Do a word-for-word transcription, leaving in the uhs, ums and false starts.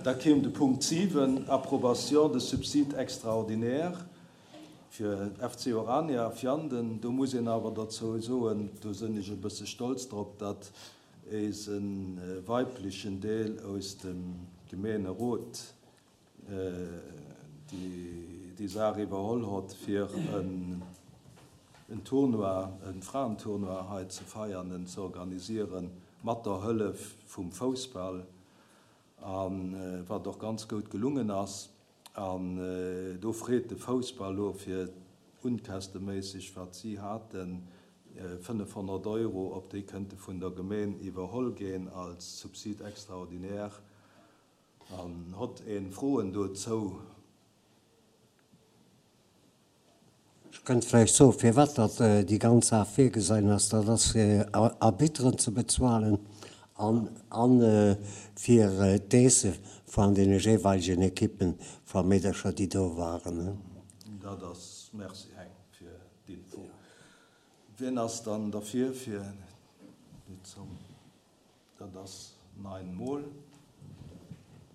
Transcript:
Da kéim de Punkt siwen, Approbation de subsides extraordinaires fir F C Orania Vianden. Do muss een awer derzou soen, do sinn ech e bësse stolz drop, datt eise weiblechen Deel aus dem Gemeenerot déi Saach iwwerholl hott, fir en Tournoi, e Fraentournoi hei ze feiern, en ze organisieren, mat der Hëllef vum Foussball, a wat och ganz goud gelungen ass. An do freet de Foussball elo fir unkästeméisseg, wat si haten, fënnefhonnert Euro, ob déi kënnte vun der Gemeen iwwerholl ginn als Subside extraordinaire. An hott een Froen dozou? Ech kënnt vläicht soen, firwat datt déi ganz Saach virgesein ass. Dat ass fir Arbitteren ze bezuelen an fir d'Aisse van deene jeeweilegen Ekippen va Meedercher, déi do waren. Dat ass, merci Heng fir d'Info. Wien ass dann derfir fir déi Zomm? Dat ass nein mol.